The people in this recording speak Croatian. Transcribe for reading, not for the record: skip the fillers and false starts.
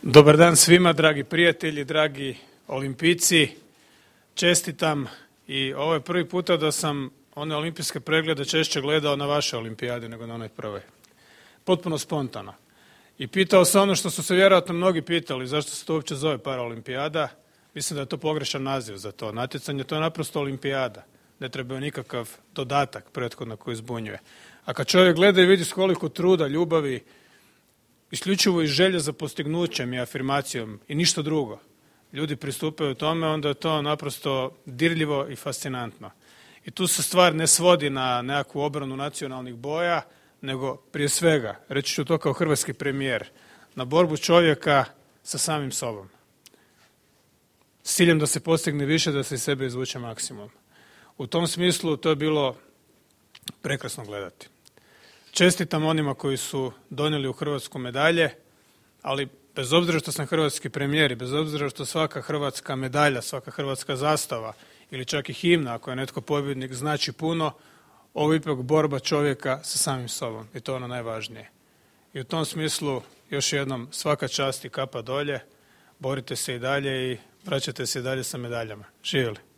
Dobar dan svima, dragi prijatelji, dragi olimpijci. Čestitam i ovo je prvi puta da sam one olimpijske preglede češće gledao na vaše olimpijade nego na onoj prvoj. Potpuno spontano. I pitao se ono što su se vjerojatno mnogi pitali, zašto se to uopće zove paraolimpijada. Mislim da je to pogrešan naziv za to natjecanje, to je naprosto olimpijada. Ne treba nikakav dodatak prethodno koji zbunjuje. A kad čovjek gleda i vidi s koliko truda, ljubavi, isključivo iz želje za postignućem i afirmacijom i ništa drugo, ljudi pristupaju tome, onda je to naprosto dirljivo i fascinantno. I tu se stvar ne svodi na nekakvu obranu nacionalnih boja, nego prije svega, reći ću to kao hrvatski premijer, na borbu čovjeka sa samim sobom. S ciljem da se postigne više, da se iz sebe izvuče maksimum. U tom smislu to je bilo prekrasno gledati. Čestitam onima koji su donijeli u Hrvatsku medalje, ali bez obzira što sam hrvatski premijer i bez obzira što svaka hrvatska medalja, svaka hrvatska zastava ili čak i himna, ako je netko pobjednik, znači puno, ovo je ipak borba čovjeka sa samim sobom i to je ono najvažnije. I u tom smislu još jednom svaka čast i kapa dolje, borite se i dalje i vraćate se i dalje sa medaljama. Živjeli!